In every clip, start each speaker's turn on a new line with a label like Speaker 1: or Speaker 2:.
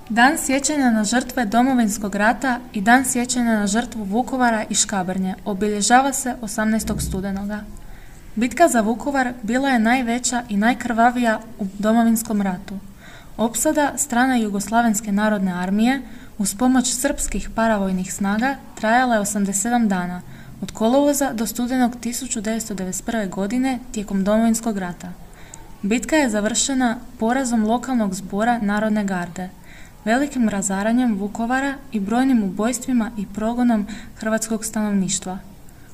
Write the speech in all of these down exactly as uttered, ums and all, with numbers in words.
Speaker 1: Dan sjećanja na žrtve Domovinskog rata i Dan sjećanja na žrtvu Vukovara i Škabrnje obilježava se osamnaestog studenoga. Bitka za Vukovar bila je najveća i najkrvavija u Domovinskom ratu. Opsada strane Jugoslavenske narodne armije uz pomoć srpskih paravojnih snaga trajala je osamdeset sedam dana, od kolovoza do studenog tisuću devetsto devedeset prve. godine tijekom Domovinskog rata. Bitka je završena porazom lokalnog zbora Narodne garde, velikim razaranjem Vukovara i brojnim ubojstvima i progonom hrvatskog stanovništva.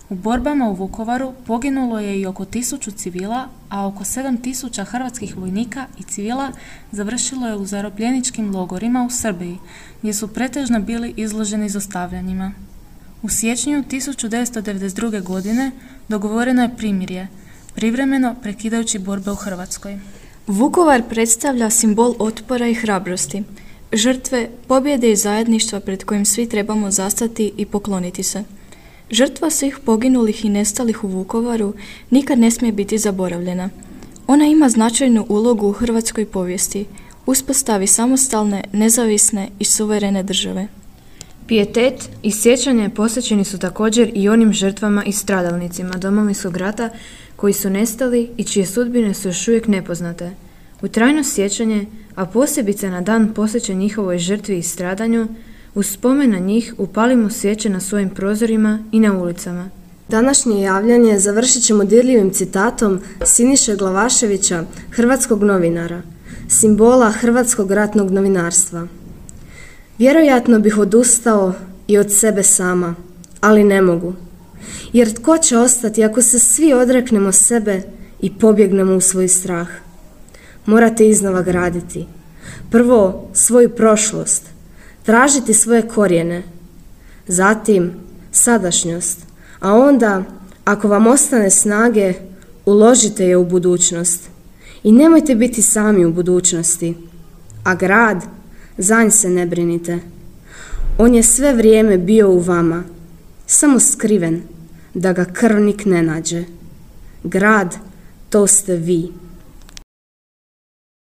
Speaker 1: U borbama u Vukovaru poginulo je i oko tisuću civila, a oko sedam tisuća hrvatskih vojnika i civila završilo je u zarobljeničkim logorima u Srbiji, gdje su pretežno bili izloženi zlostavljanjima. U siječnju tisuću devetsto devedeset druge. godine dogovoreno je primirje, privremeno prekidajući borbe u Hrvatskoj.
Speaker 2: Vukovar predstavlja simbol otpora i hrabrosti, žrtve, pobjede i zajedništva pred kojim svi trebamo zastati i pokloniti se. Žrtva svih poginulih i nestalih u Vukovaru nikad ne smije biti zaboravljena. Ona ima značajnu ulogu u hrvatskoj povijesti, uspostavi samostalne, nezavisne i suverene države.
Speaker 3: Pijetet i sjećanje posvećeni su također i onim žrtvama i stradalnicima Domovinskog rata koji su nestali i čije sudbine su još uvijek nepoznate. U trajno sjećanje, a posebice na dan posvećen njihovoj žrtvi i stradanju, uz spomen na njih upalimo svijeće na svojim prozorima i na ulicama.
Speaker 4: Današnje javljanje završit ćemo dirljivim citatom Siniše Glavaševića, hrvatskog novinara, simbola hrvatskog ratnog novinarstva. Vjerojatno bih odustao i od sebe sama, ali ne mogu. Jer tko će ostati ako se svi odreknemo sebe i pobjegnemo u svoj strah? Morate iznova graditi. Prvo svoju prošlost, tražiti svoje korijene, zatim sadašnjost, a onda, ako vam ostane snage, uložite je u budućnost. I nemojte biti sami u budućnosti, a grad, za nj se ne brinite. On je sve vrijeme bio u vama, samo skriven, da ga krvnik ne nađe. Grad, to ste vi.